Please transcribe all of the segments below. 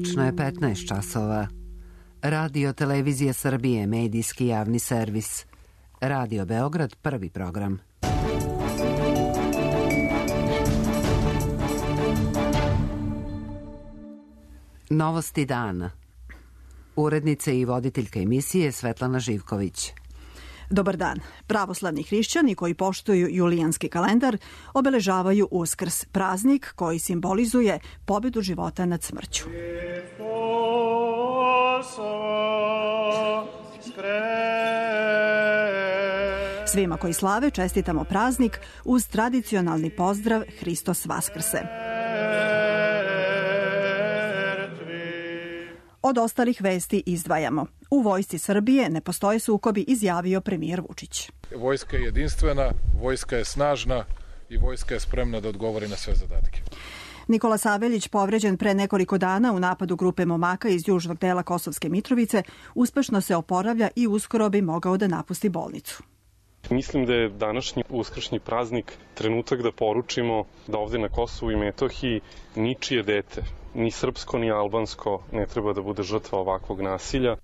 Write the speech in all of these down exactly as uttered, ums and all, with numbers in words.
Tačno je petnaest časova. Radio Televizija Srbije, medijski javni servis. Radio Beograd, prvi program. Novosti dana. Urednica i voditeljka emisije Svetlana Živković. Dobar dan. Pravoslavni hrišćani koji poštuju julijanski kalendar obeležavaju Uskrs, praznik koji simbolizuje pobedu života nad smrću. Svima koji slave čestitamo praznik uz tradicionalni pozdrav Hristos Vaskrse. Od ostalih vesti izdvajamo. U vojsci Srbije ne postoje sukobi, izjavio premijer Vučić. Vojska je jedinstvena, vojska je snažna i vojska je spremna da odgovori na sve zadatke. Nikola Saveljić, povređen pre nekoliko dana u napadu grupe momaka iz južnog dela Kosovske Mitrovice, uspešno se oporavlja i uskoro bi mogao da napusti bolnicu. Mislim da je današnji uskršnji praznik trenutak da poručimo da ovde na Kosovu i Metohiji ničije dete, ni srpsko ni albansko, ne treba da bude žrtva ovakvog nasilja.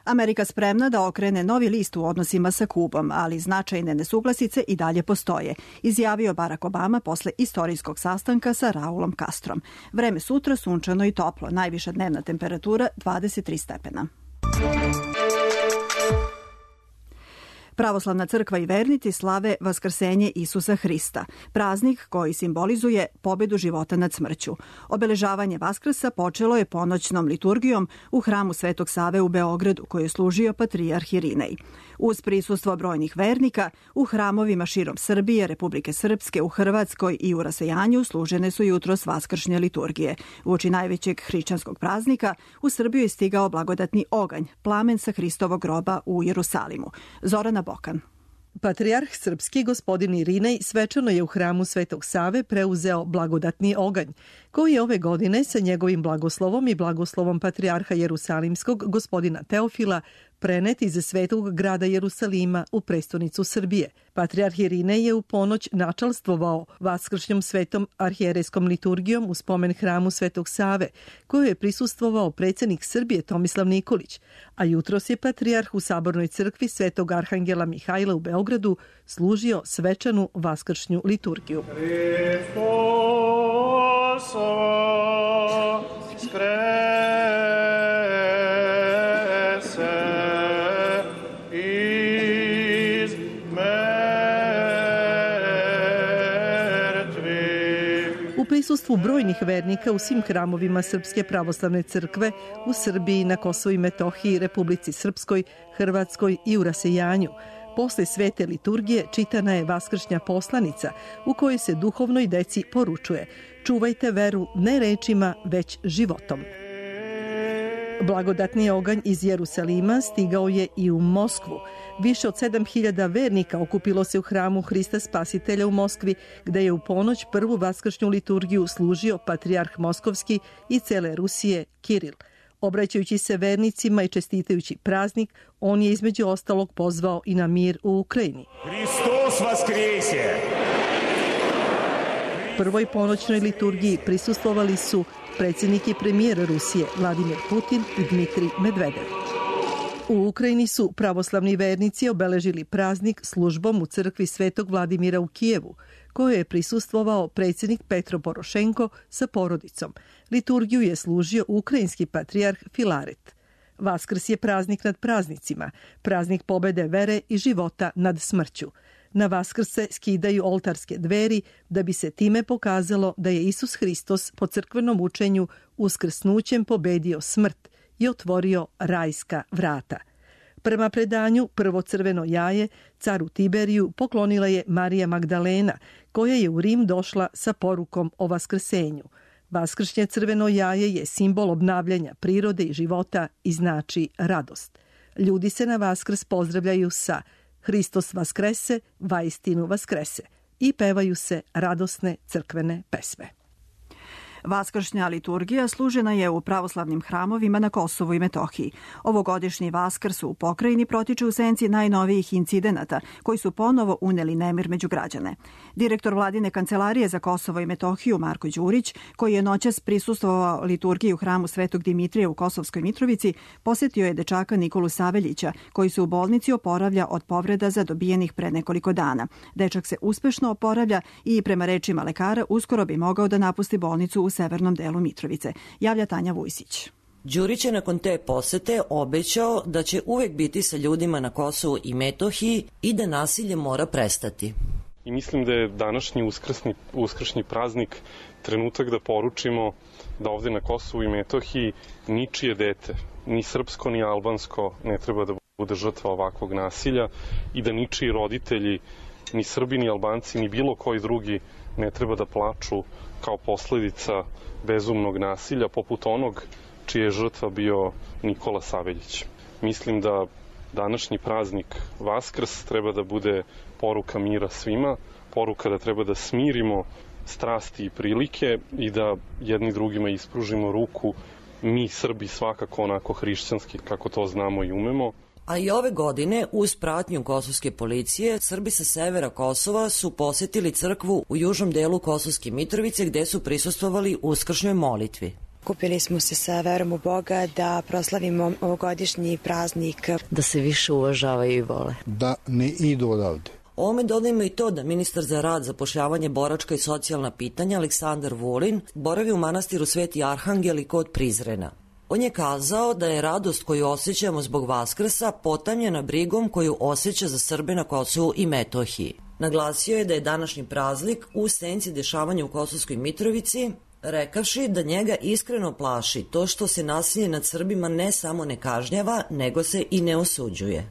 Amerika spremna da okrene novi list u odnosima sa Kubom, ali značajne nesuglasice i dalje postoje, izjavio Barack Obama posle istorijskog sastanka sa Raulom Castrom. Vreme sutra sunčano i toplo, najviša dnevna temperatura dvadeset tri stepena. Pravoslavna crkva i vernici slave Vaskrsenje Isusa Hrista, praznik koji simbolizuje pobedu života nad smrću. Obeležavanje Vaskrsa počelo je ponoćnom liturgijom u hramu Svetog Save u Beogradu, koji je služio patrijarh Irinej. Uz prisustvo brojnih vernika, u hramovima širom Srbije, Republike Srpske, u Hrvatskoj i u rasejanju služene su jutros vaskršnje liturgije. Uoči najvećeg hrišćanskog praznika u Srbiju je stigao blagodatni oganj, plamen sa Hristovog groba u Jerusalimu. Zorana Bokan. Patrijarh srpski gospodin Irinej svečano je u hramu Svetog Save preuzeo blagodatni oganj, koji je ove godine sa njegovim blagoslovom i blagoslovom patrijarha Jerusalimskog gospodina Teofila prenet iz svetog grada Jerusalima u prestonicu Srbije. Patrijarh Irinej je u ponoć načalstvovao vaskršnjom svetom arhijerejskom liturgijom u spomen hramu Svetog Save, koju je prisustvovao predsjednik Srbije Tomislav Nikolić, a jutros je patrijarh u Sabornoj crkvi Svetog Arhangela Mihajla u Beogradu služio svečanu vaskršnju liturgiju. U prisustvu brojnih vernika u svim hramovima Srpske pravoslavne crkve u Srbiji, na Kosovu i Metohiji, Republici Srpskoj, Hrvatskoj i u rasejanju, posle svete liturgije čitana je vaskršnja poslanica u kojoj se duhovnoj deci poručuje: čuvajte veru ne rečima, već životom. Blagodatni oganj iz Jerusalima stigao je i u Moskvu. Više od sedam hiljada vernika okupilo se u hramu Hrista Spasitelja u Moskvi, gde je u ponoć prvu vaskršnju liturgiju služio patrijarh Moskovski i cele Rusije Kiril. Obraćajući se vernicima i čestitajući praznik, on je između ostalog pozvao i na mir u Ukrajini. Hristos Vaskrese! Prvoj ponoćnoj liturgiji prisustvovali su predsjednik i premijer Rusije Vladimir Putin i Dmitrij Medvedev. U Ukrajini su pravoslavni vernici obeležili praznik službom u crkvi Svetog Vladimira u Kijevu, kojoj je prisustvovao predsjednik Petro Porošenko sa porodicom. Liturgiju je služio ukrajinski patrijarh Filaret. Vaskrs je praznik nad praznicima, praznik pobede vere i života nad smrću. Na Vaskrs se skidaju oltarske dveri da bi se time pokazalo da je Isus Hristos po crkvenom učenju uskrsnućem pobedio smrt i otvorio rajska vrata. Prema predanju, prvo crveno jaje caru Tiberiju poklonila je Marija Magdalena, koja je u Rim došla sa porukom o vaskrsenju. Vaskršnje crveno jaje je simbol obnavljanja prirode i života i znači radost. Ljudi se na Vaskrs pozdravljaju sa Hristos Vaskrese, vaistinu Vaskrese i pevaju se radosne crkvene pesme. Vaskršnja liturgija služena je u pravoslavnim hramovima na Kosovu i Metohiji. Ovogodišnji Vaskrs u pokrajini protiče u senci najnovijih incidenata koji su ponovo uneli nemir među građane. Direktor vladine kancelarije za Kosovo i Metohiju Marko Đurić, koji je noćas prisustvovao liturgiji u hramu Svetog Dimitrija u Kosovskoj Mitrovici, posjetio je dečaka Nikolu Saveljića, koji se u bolnici oporavlja od povreda zadobijenih pre nekoliko dana. Dečak se uspešno oporavlja i prema rečima lekara uskoro bi mogao da napusti bolnicu u severnom delu Mitrovice. Javlja Tanja Vujsić. Đurić je nakon te posete obećao da će uvek biti sa ljudima na Kosovu i Metohiji i da nasilje mora prestati. I mislim da je današnji uskrsni, uskršnji praznik trenutak da poručimo da ovde na Kosovu i Metohiji ničije dete, ni srpsko ni albansko, ne treba da bude žrtva ovakvog nasilja i da ničiji roditelji, ni Srbi, ni Albanci, ni bilo koji drugi ne treba da plaču kao posledica bezumnog nasilja, poput onog čije je žrtva bio Nikola Saveljić. Mislim da današnji praznik Vaskrs treba da bude poruka mira svima, poruka da treba da smirimo strasti i prilike i da jedni drugima ispružimo ruku, mi Srbi svakako onako hrišćanski kako to znamo i umemo. A i ove godine, uz pratnju kosovske policije, Srbi sa severa Kosova su posetili crkvu u južnom delu Kosovske Mitrovice gde su prisustvovali uskršnjoj molitvi. Kupili smo se sa verom u Boga da proslavimo ovogodišnji praznik. Da se više uvažavaju i vole. Da ne idu odavde. Ovome dodajemo i to da ministar za rad, zapošljavanje, boračka i socijalna pitanja Aleksandar Vulin boravi u manastiru Sveti Arhangel i kod Prizrena. On je kazao da je radost koju osjećamo zbog Vaskrsa potamljena brigom koju osjeća za Srbe na Kosovu i Metohiji. Naglasio je da je današnji praznik u senci dešavanja u Kosovskoj Mitrovici, rekavši da njega iskreno plaši to što se nasilje nad Srbima ne samo ne kažnjava, nego se i ne osuđuje.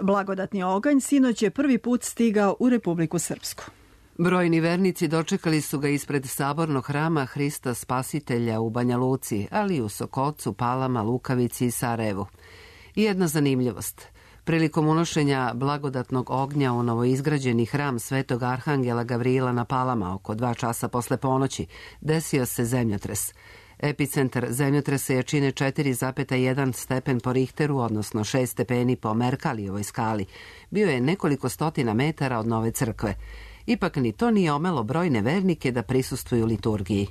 Blagodatni oganj sinoć je prvi put stigao u Republiku Srpsku. Brojni vernici dočekali su ga ispred sabornog hrama Hrista Spasitelja u Banja Luci, ali i u Sokocu, Palama, Lukavici i Sarajevu. I jedna zanimljivost. Prilikom unošenja blagodatnog ognja u novoizgrađeni hram Svetog Arhangela Gavrila na Palama oko dva časa posle ponoći desio se zemljotres. Epicentar zemljotresa jačine četiri zarez jedan stepen po Richteru, odnosno šest stepeni po Merkalijevoj skali. Bio je nekoliko stotina metara od Nove crkve. Ipak ni to nije omelo brojne vernike da prisustvuju liturgiji.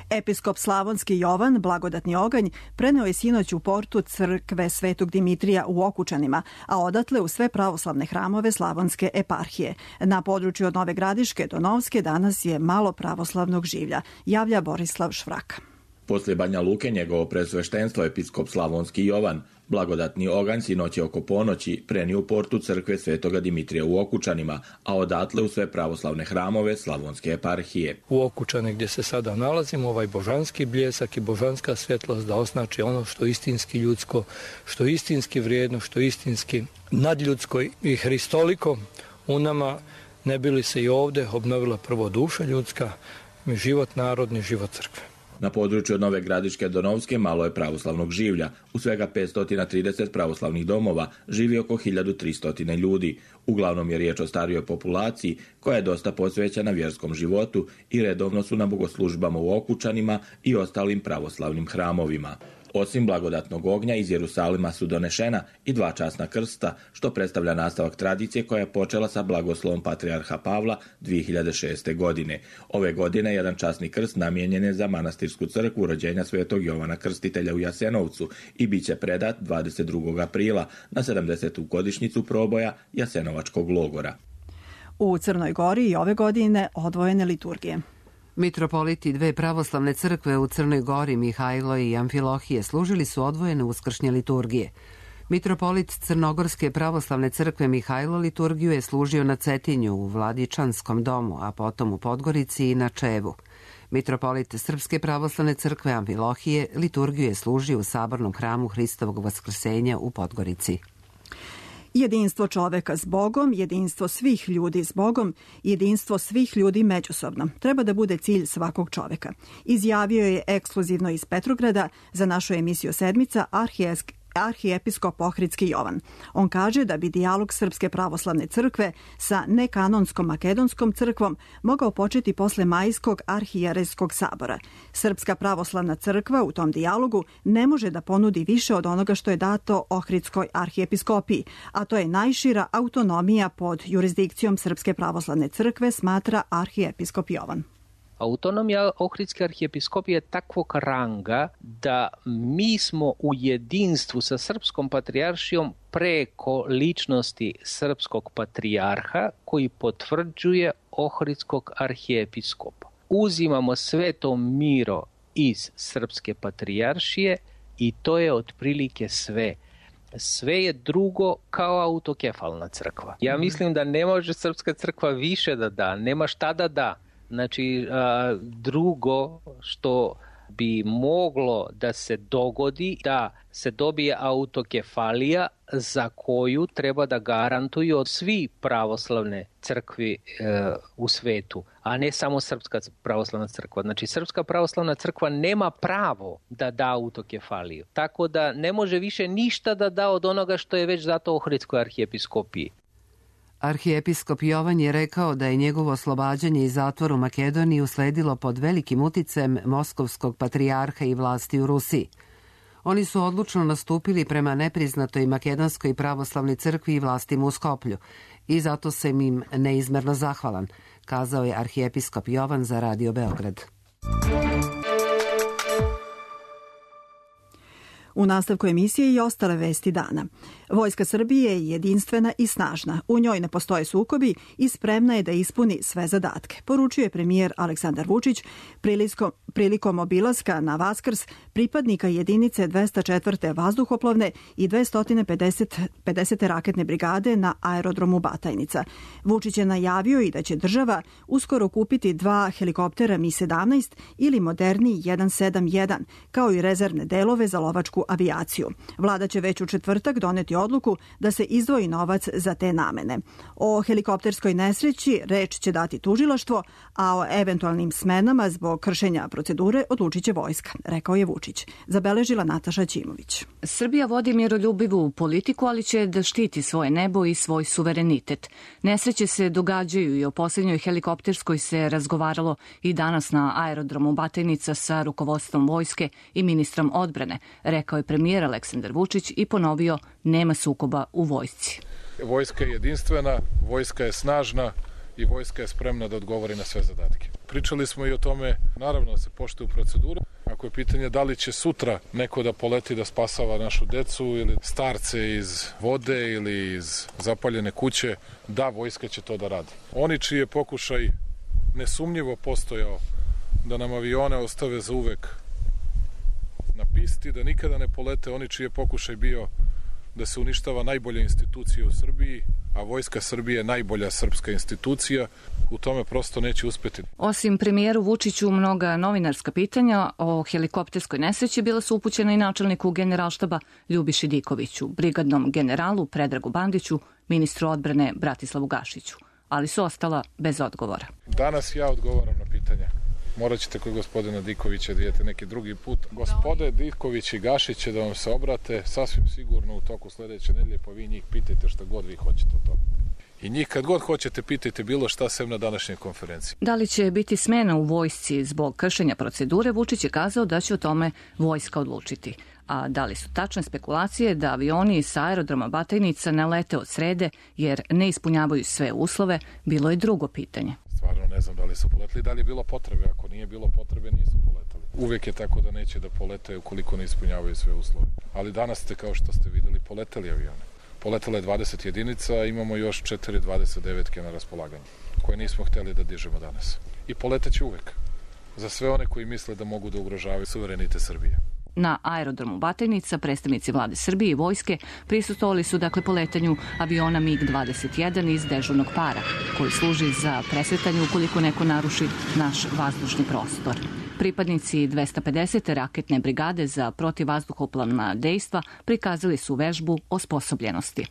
Episkop Slavonski Jovan, blagodatni oganj, preneo je sinoć u portu crkve Svetog Dimitrija u Okučanima, a odatle u sve pravoslavne hramove Slavonske eparhije. Na području od Nove Gradiške do Novske danas je malo pravoslavnog življa, javlja Borislav Švrak. Posle Banja Luke njegovo presveštenstvo episkop Slavonski Jovan, blagodatni oganj sinoć je oko ponoći prenio u portu crkve Svetoga Dimitrija u Okučanima, a odatle u sve pravoslavne hramove Slavonske eparhije. U Okučane gdje se sada nalazimo, ovaj božanski bljesak i božanska svjetlost da označi ono što istinski ljudsko, što istinski vrijedno, što istinski nadljudsko i hristoliko u nama, ne bi li se i ovdje obnovila prvo duša ljudska, život narodni, život crkve. Na području od Nove Gradiške do Novske malo je pravoslavnog življa. U svega petsto trideset pravoslavnih domova živi oko hiljadu tristo ljudi. Uglavnom je riječ o starijoj populaciji koja je dosta posvećena vjerskom životu i redovno su na bogoslužbama u Okučanima i ostalim pravoslavnim hramovima. Osim blagodatnog ognja iz Jerusalima su donešena i dva časna krsta, što predstavlja nastavak tradicije koja je počela sa blagoslovom patrijarha Pavla dvije hiljade šeste. godine. Ove godine jedan časni krst namijenjen je za manastirsku crkvu rođenja Svetog Jovana Krstitelja u Jasenovcu i bit će predat dvadeset drugog aprila na sedamdesetu godišnjicu proboja Jasenovačkog logora. U Crnoj Gori i ove godine odvojene liturgije. Mitropoliti dve pravoslavne crkve u Crnoj Gori, Mihajlo i Amfilohije, služili su odvojene uskršnje liturgije. Mitropolit Crnogorske pravoslavne crkve Mihajlo liturgiju je služio na Cetinju u Vladičanskom domu, a potom u Podgorici i na Čevu. Mitropolit Srpske pravoslavne crkve Amfilohije liturgiju je služio u sabornom hramu Hristovog vaskrsenja u Podgorici. Jedinstvo čoveka s Bogom, jedinstvo svih ljudi s Bogom, jedinstvo svih ljudi međusobno treba da bude cilj svakog čoveka. Izjavio je ekskluzivno iz Petrograda za našu emisiju Sedmica arhijepiskop Ohridski Jovan. On kaže da bi dijalog Srpske pravoslavne crkve sa nekanonskom makedonskom crkvom mogao početi posle majskog arhijerejskog sabora. Srpska pravoslavna crkva u tom dijalogu ne može da ponudi više od onoga što je dato Ohridskoj arhijepiskopiji, a to je najšira autonomija pod jurisdikcijom Srpske pravoslavne crkve, smatra arhijepiskop Jovan. Autonomija Ohridske arhijepiskopije je takvog ranga da mi smo u jedinstvu sa Srpskom patrijaršijom preko ličnosti Srpskog patrijarha koji potvrđuje Ohridskog arhijepiskopa. Uzimamo sveto miro iz Srpske patrijaršije i to je otprilike sve. Sve je drugo kao autokefalna crkva. Ja mislim da ne može Srpska crkva više da da, nema šta da da. Znači, drugo što bi moglo da se dogodi, da se dobije autokefalija za koju treba da garantuju od svi pravoslavne crkvi e, u svetu, a ne samo Srpska pravoslavna crkva. Znači, Srpska pravoslavna crkva nema pravo da da autokefaliju. Tako da ne može više ništa da da od onoga što je već dato Ohridskoj arhijepiskopiji. Arhijepiskop Jovan je rekao da je njegovo oslobađanje iz zatvora u Makedoniji usledilo pod velikim uticajem moskovskog patrijarha i vlasti u Rusiji. Oni su odlučno nastupili prema nepriznatoj makedonskoj pravoslavnoj crkvi i vlastima u Skoplju i zato sam im neizmerno zahvalan, kazao je arhijepiskop Jovan za Radio Beograd. U nastavku emisije i ostale vesti dana. Vojska Srbije je jedinstvena i snažna. U njoj ne postoje sukobi i spremna je da ispuni sve zadatke, poručio je premijer Aleksandar Vučić prilikom, prilikom obilaska na Vaskrs pripadnika jedinice dvesta četvrte vazduhoplovne i dvesta pedesete raketne brigade na aerodromu Batajnica. Vučić je najavio i da će država uskoro kupiti dva helikoptera Mi sedamnaest ili moderni jedan sedam jedan, kao i rezervne delove za lovačku avijaciju. Vlada će već u četvrtak doneti odluku da se izdvoji novac za te namene. O helikopterskoj nesreći reč će dati tužilaštvo, a o eventualnim smenama zbog kršenja procedure odlučit će vojska, rekao je Vučić. Zabeležila Nataša Ćimović. Srbija vodi miroljubivu politiku, ali će da štiti svoje nebo i svoj suverenitet. Nesreće se događaju i o posljednjoj helikopterskoj se razgovaralo i danas na aerodromu Batajnica sa rukovodstvom vojske i ministrom odbrane, rekao je premijer Aleksandar Vučić i ponovio nema sukoba u vojsci. Vojska je jedinstvena, vojska je snažna i vojska je spremna da odgovori na sve zadatke. Pričali smo i o tome, naravno da se poštuje proceduru. Ako je pitanje da li će sutra neko da poleti da spasava našu decu ili starce iz vode ili iz zapaljene kuće, da, vojska će to da radi. Oni čiji je pokušaj nesumnjivo postojao da nam avione ostave za uvek na pisti, da nikada ne polete, oni čiji je pokušaj bio da se uništava najbolja institucija u Srbiji, a Vojska Srbije je najbolja srpska institucija, u tome prosto neće uspeti. Osim premijeru Vučiću, mnoga novinarska pitanja o helikopterskoj nesreći bila su upućena i načelniku Generalštaba Ljubiši Dikoviću, brigadnom generalu Predragu Bandiću, ministru odbrane Bratislavu Gašiću, ali su ostala bez odgovora. Danas ja odgovaram na pitanja. Morat ćete kod gospodina Dikovića da idete neki drugi put. Gospode Diković i Gašić će da vam se obrate sasvim sigurno u toku sledeće nedelje, pa vi njih pitajte šta god vi hoćete o tome. I njih kad god hoćete pitajte bilo šta sem na današnjoj konferenciji. Da li će biti smena u vojsci zbog kršenja procedure, Vučić je kazao da će o tome vojska odlučiti. A da li su tačne spekulacije da avioni sa aerodroma Batajnica ne lete od srede jer ne ispunjavaju sve uslove, bilo je drugo pitanje. Stvarno ne znam da li su poletali, da li je bilo potrebe. Ako nije bilo potrebe, nisu poletali. Uvek je tako da neće da polete ukoliko ne ispunjavaju sve uslove. Ali danas ste, kao što ste videli, poletali avione. Poletala je dvadeset jedinica, a imamo još četiri dvadeset devetke na raspolaganju, koje nismo hteli da dižemo danas. I poleteće uvek. Za sve one koji misle da mogu da ugrožavaju suverenitet Srbije. Na aerodromu Batajnica predstavnici vlade Srbije i vojske prisustvovali su dakle poletanju aviona MiG dvadeset jedan iz dežurnog para, koji služi za presretanje ukoliko neko naruši naš vazdušni prostor. Pripadnici dvesta pedesete raketne brigade za protivvazduhoplovna dejstva prikazali su vežbu osposobljenosti.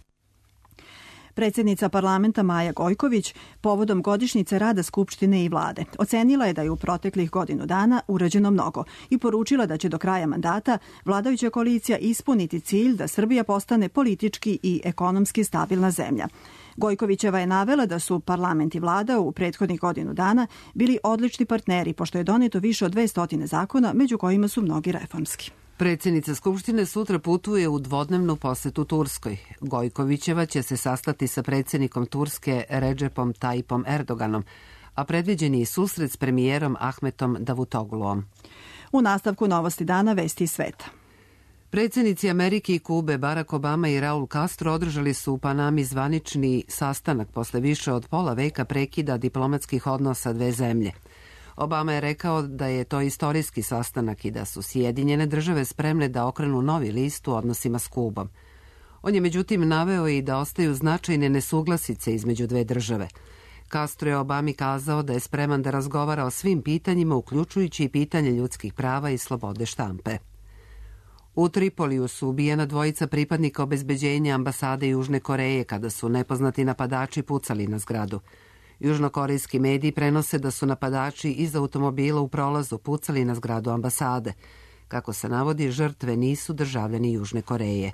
Predsjednica parlamenta Maja Gojković povodom godišnjice rada Skupštine i vlade ocenila je da je u proteklih godinu dana urađeno mnogo i poručila da će do kraja mandata vladajuća koalicija ispuniti cilj da Srbija postane politički i ekonomski stabilna zemlja. Gojkovićeva je navela da su parlament i vlada u prethodnih godinu dana bili odlični partneri, pošto je doneto više od dvesta zakona, među kojima su mnogi reformski. Predsjednica Skupštine sutra putuje u dvodnevnu posetu Turskoj. Gojkovićeva će se sastati sa predsjednikom Turske Redžepom Tayyipom Erdoganom, a predviđeni je susret s premijerom Ahmetom Davutogluom. U nastavku novosti dana vesti iz sveta. Predsjednici Amerike i Kube Barack Obama i Raul Castro održali su u Panami zvanični sastanak posle više od pola veka prekida diplomatskih odnosa dve zemlje. Obama je rekao da je to istorijski sastanak i da su Sjedinjene države spremne da okrenu novi list u odnosima s Kubom. On je međutim naveo i da ostaju značajne nesuglasice između dve države. Castro je Obami kazao da je spreman da razgovara o svim pitanjima, uključujući i pitanje ljudskih prava i slobode štampe. U Tripoliju su ubijena dvojica pripadnika obezbeđenja ambasade Južne Koreje kada su nepoznati napadači pucali na zgradu. Južnokorejski mediji prenose da su napadači iz automobila u prolazu pucali na zgradu ambasade. Kako se navodi, žrtve nisu državljani Južne Koreje.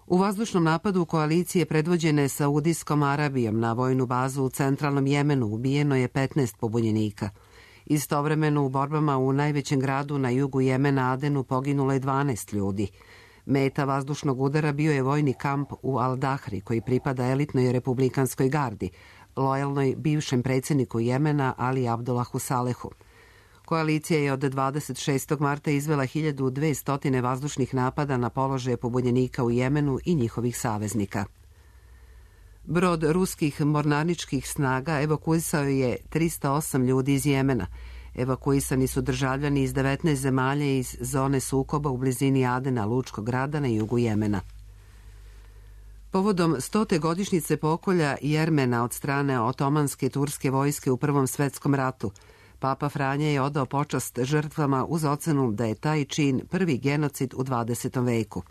U vazdušnom napadu koalicije predvođene Saudijskom Arabijom na vojnu bazu u centralnom Jemenu ubijeno je petnaest pobunjenika. Istovremeno u borbama u najvećem gradu na jugu Jemena Adenu poginulo je dvanaest ljudi. Meta vazdušnog udara bio je vojni kamp u Al-Dahri koji pripada elitnoj republikanskoj gardi, lojalnoj bivšem predsjedniku Jemena Ali Abdullahu Salehu. Koalicija je od dvadeset šestog marta izvela hiljadu dvesta vazdušnih napada na položaje pobunjenika u Jemenu i njihovih saveznika. Brod ruskih mornaričkih snaga evakuisao je trista osam ljudi iz Jemena. Evakuisani su državljani iz devetnaest zemalja iz zone sukoba u blizini Adena, lučkog grada na jugu Jemena. Povodom stote godišnjice pokolja Jermena od strane otomanske turske vojske u Prvom svetskom ratu, Papa Franja je odao počast žrtvama uz ocenu da je taj čin prvi genocid u dvadesetom veku.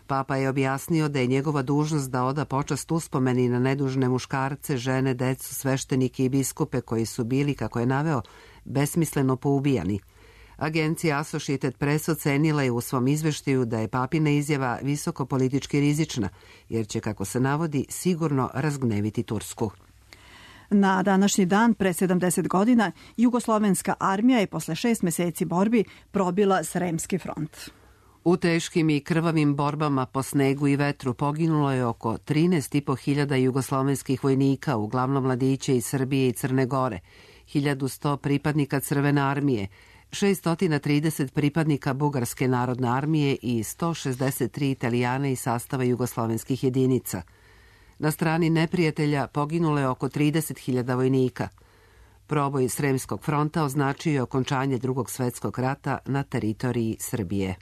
Papa je objasnio da je njegova dužnost da oda počast uspomeni na nedužne muškarce, žene, decu, sveštenike i biskupe koji su bili, kako je naveo, besmisleno poubijani. Agencija Associated Press ocenila je u svom izveštaju da je papina izjava visoko politički rizična, jer će, kako se navodi, sigurno razgneviti Tursku. Na današnji dan, pre sedamdeset godina, jugoslovenska armija je posle šest meseci borbi probila Sremski front. U teškim i krvavim borbama po snegu i vetru poginulo je oko trinaest i po hiljada jugoslovenskih vojnika, uglavnom mladiće iz Srbije i Crne Gore, hiljadu sto pripadnika Crvene armije, šessto trideset pripadnika Bugarske narodne armije i sto šezdeset tri Italijane iz sastava jugoslovenskih jedinica. Na strani neprijatelja poginulo je oko trideset hiljada vojnika. Proboj Sremskog fronta označio je okončanje Drugog svetskog rata na teritoriji Srbije.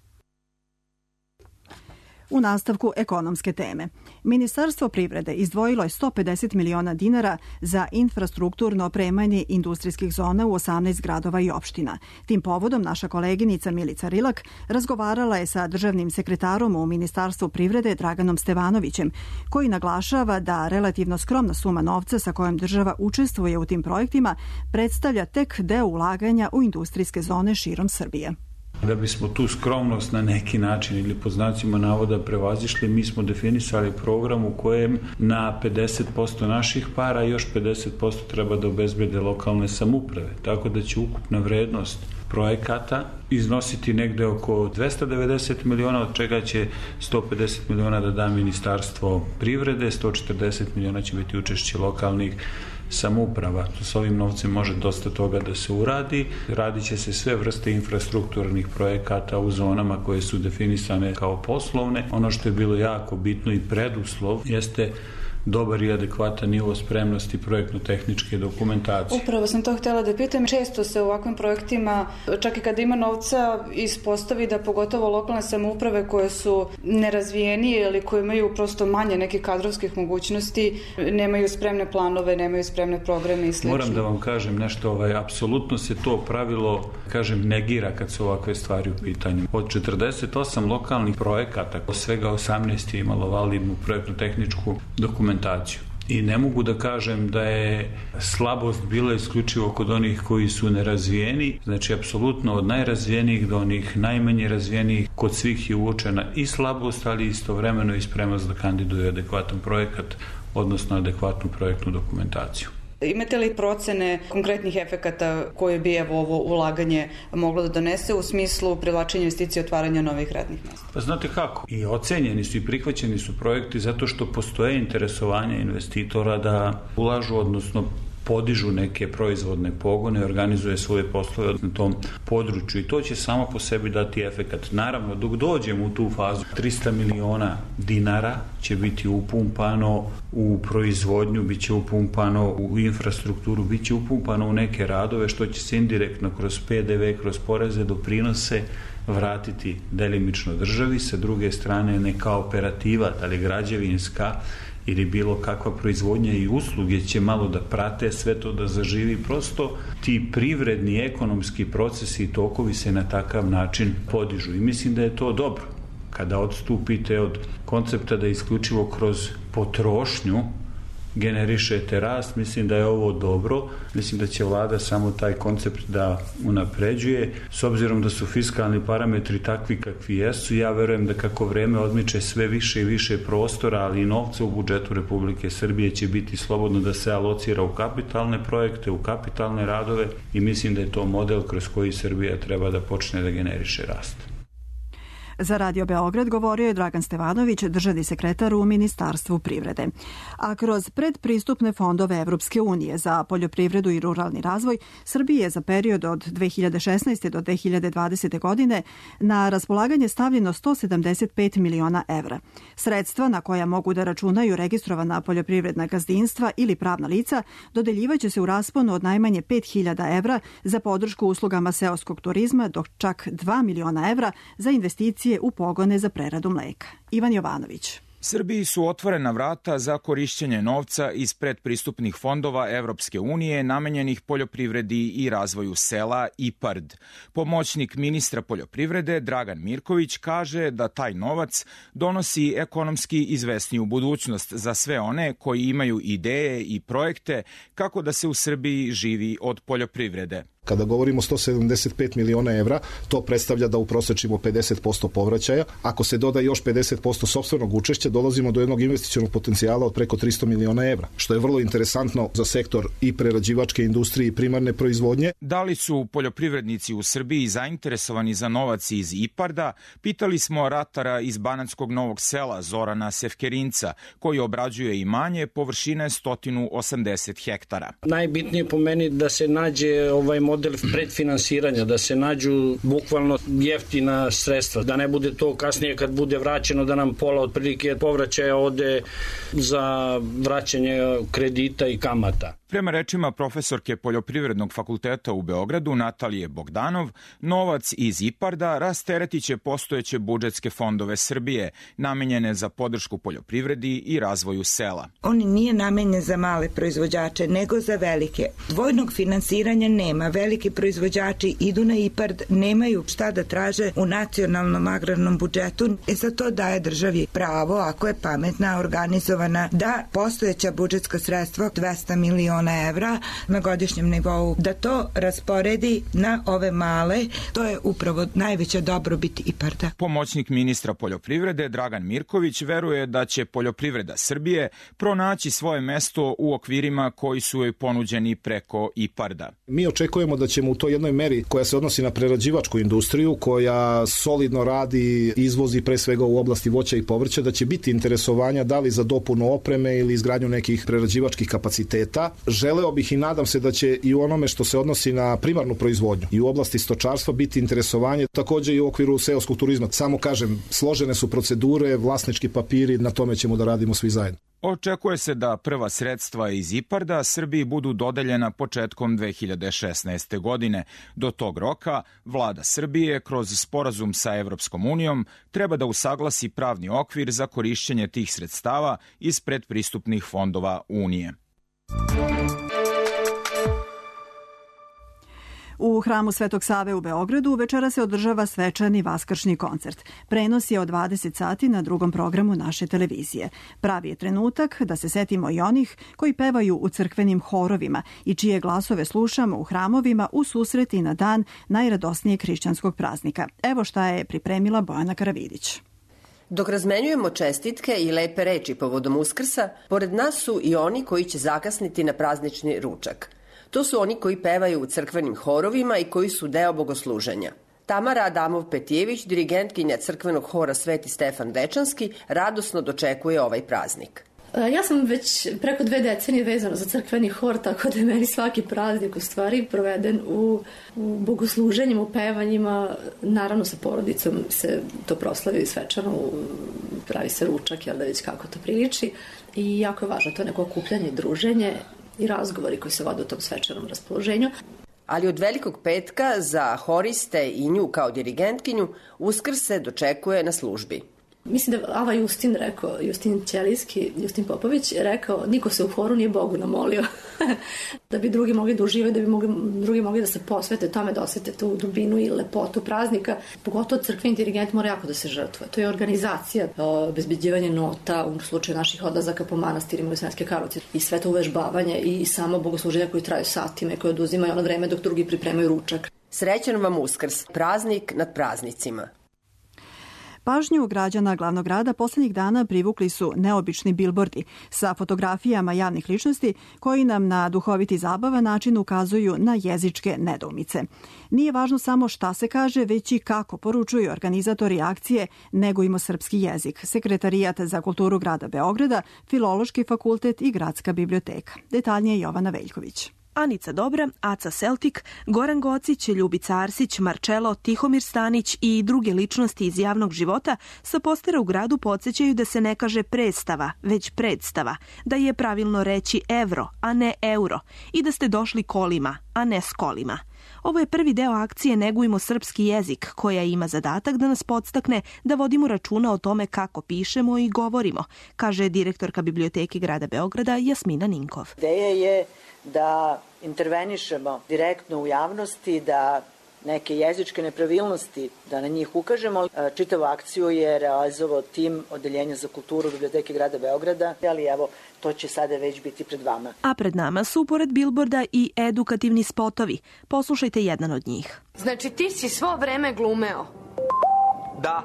U nastavku ekonomske teme. Ministarstvo privrede izdvojilo je sto pedeset miliona dinara za infrastrukturno opremanje industrijskih zona u osamnaest gradova i opština. Tim povodom naša koleginica Milica Rilak razgovarala je sa državnim sekretarom u Ministarstvu privrede Draganom Stevanovićem, koji naglašava da relativno skromna suma novca sa kojom država učestvuje u tim projektima predstavlja tek deo ulaganja u industrijske zone širom Srbije. Da bismo tu skromnost na neki način ili po znacima navoda prevazišli, mi smo definisali program u kojem na pedeset posto naših para još pedeset posto treba da obezbede lokalne samouprave. Tako da će ukupna vrednost projekata iznositi negde oko dvesta devedeset miliona, od čega će sto pedeset miliona da da Ministarstvo privrede, sto četrdeset miliona će biti učešće lokalnih samouprava. S ovim novcem može dosta toga da se uradi. Radit će se sve vrste infrastrukturnih projekata u zonama koje su definisane kao poslovne. Ono što je bilo jako bitno i preduslov jeste dobar i adekvatan nivo spremnosti projektno-tehničke dokumentacije. Upravo sam to htjela da pitam. Često se u ovakvim projektima, čak i kada ima novca, ispostavi da pogotovo lokalne samouprave koje su nerazvijenije ili koje imaju prosto manje nekih kadrovskih mogućnosti, nemaju spremne planove, nemaju spremne programe i sl. Moram da vam kažem nešto, ovaj, apsolutno se to pravilo, kažem, negira kad su ovakve stvari u pitanju. Od četrdeset osam lokalnih projekata, svega osamnaest je imalo validnu projektno-tehničku dokumentaciju. dokumentaciju. I ne mogu da kažem da je slabost bila isključivo kod onih koji su nerazvijeni, znači apsolutno od najrazvijenijih do onih najmanje razvijenijih, kod svih je uočena i slabost, ali istovremeno i spremnost da kandiduju adekvatan projekat, odnosno adekvatnu projektnu dokumentaciju. Imate li procene konkretnih efekata koje bi evo ovo ulaganje moglo da donese u smislu privlačenja investicija i otvaranja novih radnih mesta? Pa znate kako? I ocenjeni su i prihvaćeni su projekti zato što postoje interesovanje investitora da ulažu, odnosno podižu neke proizvodne pogone, organizuje svoje poslove na tom području i to će samo po sebi dati efekat. Naravno, dok dođemo u tu fazu, trista miliona dinara će biti upumpano u proizvodnju, bit će upumpano u infrastrukturu, bit će upumpano u neke radove, što će se indirektno kroz P D V, kroz poreze, doprinose vratiti delimično državi. Sa druge strane, neka operativa, da li građevinska ili bilo kakva proizvodnja i usluge će malo da prate sve to da zaživi. Prosto ti privredni, ekonomski procesi i tokovi se na takav način podižu i mislim da je to dobro. Kada odstupite od koncepta da isključivo kroz potrošnju generišete rast, mislim da je ovo dobro. Mislim da će vlada samo taj koncept da unapređuje. S obzirom da su fiskalni parametri takvi kakvi jesu, ja verujem da kako vreme odmiče sve više i više prostora, ali i novca u budžetu Republike Srbije će biti slobodno da se alocira u kapitalne projekte, u kapitalne radove i mislim da je to model kroz koji Srbija treba da počne da generiše rast. Za Radio Beograd govorio je Dragan Stevanović, državni sekretar u Ministarstvu privrede. A kroz predpristupne fondove Evropske unije za poljoprivredu i ruralni razvoj, Srbiji je za period od dve hiljade šesnaeste. do dve hiljade dvadesete. godine na raspolaganje stavljeno sto sedamdeset pet miliona evra. Sredstva na koja mogu da računaju registrovana poljoprivredna gazdinstva ili pravna lica dodeljivaće se u rasponu od najmanje pet hiljada evra za podršku uslugama seoskog turizma, dok čak dva miliona evra za investicije u pogone za preradu mleka. Ivan Jovanović. Srbiji su otvorena vrata za korišćenje novca iz predpristupnih fondova Evropske unije namenjenih poljoprivredi i razvoju sela I P A R D. Pomoćnik ministra poljoprivrede Dragan Mirković kaže da taj novac donosi ekonomski izvesniju budućnost za sve one koji imaju ideje i projekte kako da se u Srbiji živi od poljoprivrede. Kada govorimo o sto sedamdeset pet miliona evra, to predstavlja da uprosečimo pedeset posto povraćaja. Ako se doda još pedeset posto sopstvenog učešća, dolazimo do jednog investicionog potencijala od preko tristo miliona evra, što je vrlo interesantno za sektor i prerađivačke industrije i primarne proizvodnje. Da li su poljoprivrednici u Srbiji zainteresovani za novac iz I P A R D-a, pitali smo ratara iz Banatskog Novog Sela Zorana Sefkerinca, koji obrađuje imanje površine sto osamdeset hektara. Najbitnije po meni da se nađe ovaj model predfinansiranja, da se nađu bukvalno jeftina sredstva, da ne bude to kasnije kad bude vraćeno da nam pola otprilike povraćaja ode za vraćanje kredita i kamata. Prema rečima profesorke Poljoprivrednog fakulteta u Beogradu Natalije Bogdanov, novac iz I P A R D-a rasteretit će postojeće budžetske fondove Srbije, namenjene za podršku poljoprivredi i razvoju sela. On nije namenjen za male proizvođače, nego za velike. Dvojnog finansiranja nema. Veliki proizvođači idu na I P A R D, nemaju šta da traže u nacionalnom agrarnom budžetu. E za to daje državi pravo, ako je pametna, organizovana, da postojeća budžetska sredstva dvesta miliona evra na godišnjem nivou, da to rasporedi na ove male, to je upravo najveća dobrobit I P A R D-a. Pomoćnik ministra poljoprivrede Dragan Mirković veruje da će poljoprivreda Srbije pronaći svoje mesto u okvirima koji su joj ponuđeni preko I P A R D-a. Mi očekujemo da ćemo u toj jednoj meri koja se odnosi na prerađivačku industriju, koja solidno radi, izvozi pre svega u oblasti voća i povrća, da će biti interesovanja da li za dopunu opreme ili izgradnju nekih prerađivačkih kapaciteta. Želeo bih i nadam se da će i u onome što se odnosi na primarnu proizvodnju i u oblasti stočarstva biti interesovanje, takođe i u okviru seoskog turizma. Samo kažem, složene su procedure, vlasnički papiri, na tome ćemo da radimo svi zajedno. Očekuje se da prva sredstva iz I P A R D-a Srbiji budu dodeljena početkom dve hiljade šesnaeste. godine. Do tog roka vlada Srbije kroz sporazum sa Evropskom unijom treba da usaglasi pravni okvir za korišćenje tih sredstava iz predpristupnih fondova Unije. U hramu Svetog Save u Beogradu večera se održava svečani vaskršnji koncert. Prenos je od dvadeset sati na drugom programu naše televizije. Pravi je trenutak da se setimo i onih koji pevaju u crkvenim horovima i čije glasove slušamo u hramovima u susreti na dan najradosnijeg hrišćanskog praznika. Evo šta je pripremila Bojana Karavidić. Dok razmenjujemo čestitke i lepe reči povodom Uskrsa, pored nas su i oni koji će zakasniti na praznični ručak. To su oni koji pevaju u crkvenim horovima i koji su deo bogosluženja. Tamara Adamov-Petijević, dirigentkinja crkvenog hora Sveti Stefan Dečanski, radosno dočekuje ovaj praznik. Ja sam već preko dve decenije vezana za crkveni hor, tako da je meni svaki praznik u stvari proveden u, u bogosluženjima, u pevanjima. Naravno sa porodicom se to proslavi svečano, pravi se ručak, jel da već kako to priliči. I jako je važno to neko okupljanje, druženje i razgovori koji se vode u tom svečanom raspoloženju. Ali od Velikog petka za horiste i nju kao dirigentkinju Uskrs se dočekuje na službi. Mislim da Ava Justin rekao, Justin Ćelijski, Justin Popović rekao, niko se u horu nije Bogu namolio. Da bi drugi mogli da uživaju, da bi mogli, drugi mogli da se posvete tome, da osete tu dubinu i lepotu praznika. Pogotovo crkveni dirigent mora jako da se žrtvuje. To je organizacija, obezbeđivanje nota, u slučaju naših odlazaka po manastirima u Sremske Karlovci i sve to uvežbavanje i samo bogosluženja koji traju satima i koje oduzimaju ono vreme dok drugi pripremaju ručak. Srećan vam Uskrs, praznik nad praznicima. Pažnju građana glavnog grada poslednjih dana privukli su neobični bilbordi sa fotografijama javnih ličnosti koji nam na duhoviti zabavan način ukazuju na jezičke nedoumice. Nije važno samo šta se kaže, već i kako poručuju organizatori akcije Negujmo srpski jezik, Sekretarijat za kulturu grada Beograda, Filološki fakultet i Gradska biblioteka. Detaljnije Jovana Veljković. Anica Dobra, Aca Seltik, Goran Gocić, Ljubica Arsić, Marčelo, Tihomir Stanić i druge ličnosti iz javnog života sa postera u gradu podsjećaju da se ne kaže predstava, već predstava, da je pravilno reći evro, a ne euro i da ste došli kolima, a ne s kolima. Ovo je prvi deo akcije Negujmo srpski jezik, koja ima zadatak da nas podstakne da vodimo računa o tome kako pišemo i govorimo, kaže direktorka Biblioteke grada Beograda Jasmina Ninkov. Ideja je da intervenišemo direktno u javnosti, da neke jezičke nepravilnosti, da na njih ukažemo. Čitavu akciju je realizovao tim Odeljenja za kulturu Biblioteke grada Beograda, ali evo, to će sada već biti pred vama. A pred nama su, pored bilborda, i edukativni spotovi. Poslušajte jedan od njih. Znači ti si svo vreme glumeo? Da,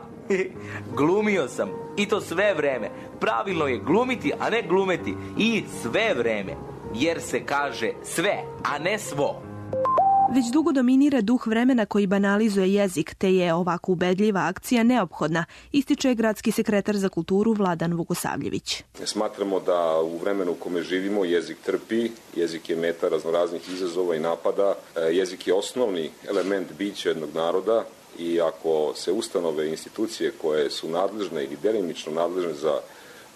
glumio sam. I to sve vreme. Pravilno je glumiti, a ne glumeti. I sve vreme. Jer se kaže sve, a ne svo. Već dugo dominira duh vremena koji banalizuje jezik, te je ovako ubedljiva akcija neophodna, ističe gradski sekretar za kulturu Vladan Vukosavljević. Smatramo da u vremenu u kome živimo jezik trpi, jezik je meta raznoraznih izazova i napada, jezik je osnovni element bića jednog naroda i ako se ustanove i institucije koje su nadležne ili delimično nadležne za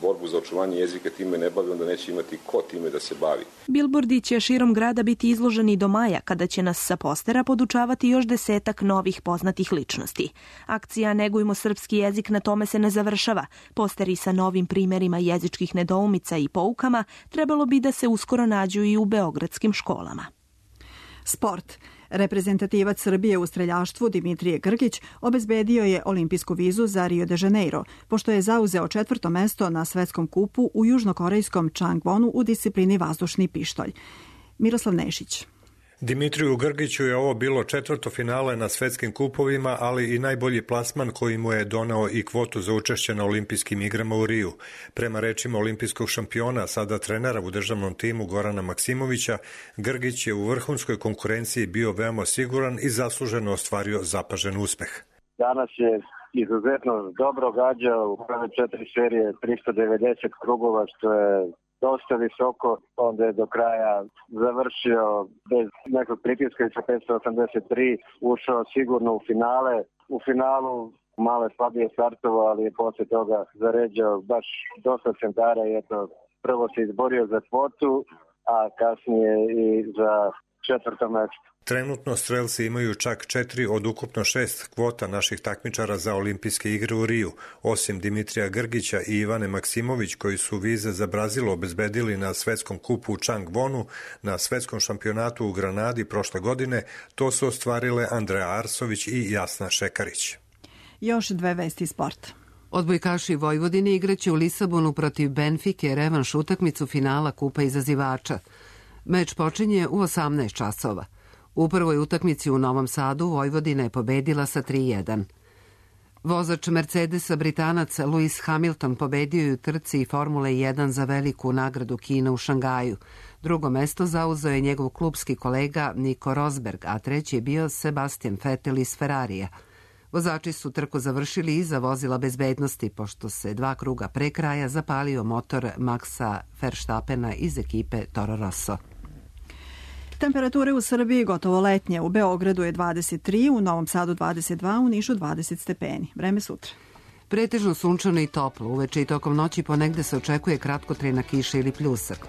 borbu za očuvanje jezika time ne bavi, onda neće imati ko time da se bavi. Bilbordi će širom grada biti izloženi do maja, kada će nas sa postera podučavati još desetak novih poznatih ličnosti. Akcija Negujmo srpski jezik na tome se ne završava. Posteri sa novim primerima jezičkih nedoumica i poukama trebalo bi da se uskoro nađu i u beogradskim školama. Sport. Reprezentativac Srbije u streljaštvu Dimitrije Grgić obezbedio je olimpijsku vizu za Rio de Janeiro, pošto je zauzeo četvrto mesto na svetskom kupu u južnokorejskom Changwonu u disciplini vazdušni pištolj. Miroslav Nešić. Dimitriju Grgiću je ovo bilo četvrto finale na svetskim kupovima, ali i najbolji plasman koji mu je donao i kvotu za učešće na olimpijskim igrama u Riju. Prema rečima olimpijskog šampiona, sada trenera u državnom timu Gorana Maksimovića, Grgić je u vrhunskoj konkurenciji bio veoma siguran i zasluženo ostvario zapažen uspeh. Danas je izuzetno dobro gađao u prve četiri serije tristo devedeset krugova, što je dosta visoko, onda je do kraja završio bez nekog pritiska i sa petsto osamdeset tri ušao sigurno u finale. U finalu malo je slabije startovao, ali je posle toga zaređao baš dosta centara i eto, prvo se izborio za kvotu, a kasnije i za četvrto mesto. Trenutno strelci imaju čak četiri od ukupno šest kvota naših takmičara za olimpijske igre u Riju. Osim Dimitrija Grgića i Ivane Maksimović, koji su vize za Brazil obezbedili na svetskom kupu u Changwonu, na svetskom šampionatu u Granadi prošle godine, to su ostvarile Andreja Arsović i Jasna Šekarić. Još dve vesti sporta. Odbojkaši Vojvodine igraće u Lisabonu protiv Benfike revanš utakmicu finala Kupa izazivača. Meč počinje u osamnaest časova. U prvoj utakmici u Novom Sadu Vojvodina je pobedila sa tri jedan. Vozač Mercedesa Britanac Lewis Hamilton pobedio je u trci Formule jedan za veliku nagradu Kina u Šangaju. Drugo mesto zauzeo je njegov klubski kolega Nico Rosberg, a treći je bio Sebastian Vettel iz Ferrarija. Vozači su trku završili iza vozila bezbednosti, pošto se dva kruga pre kraja zapalio motor Maxa Verstappena iz ekipe Toro Rosso. Temperature u Srbiji gotovo letnje. U Beogradu je dvadeset tri, u Novom Sadu dvadeset dva, u Nišu dvadeset stepeni. Vreme sutra. Pretežno sunčano i toplo. Uveče i tokom noći ponegde se očekuje kratkotrajna kiša ili pljusak.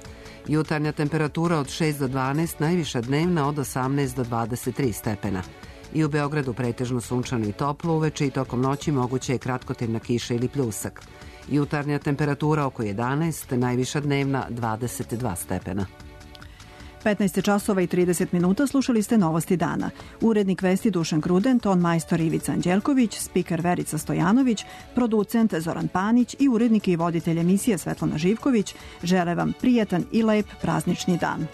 Jutarnja temperatura od šest do dvanaest, najviša dnevna od osamnaest do dvadeset tri stepena. I u Beogradu pretežno sunčano i toplo, uveče i tokom noći moguće je kratkotrajna kiša ili pljusak. Jutarnja temperatura oko jedanaest, najviša dnevna dvadeset dva stepena. petnaest časova i trideset minuta, slušali ste Novosti dana. Urednik vesti Dušan Kruden, ton majstor Ivica Anđelković, spiker Verica Stojanović, producent Zoran Panić i urednik i voditelj emisije Svetlana Živković žele vam prijatan i lep praznični dan.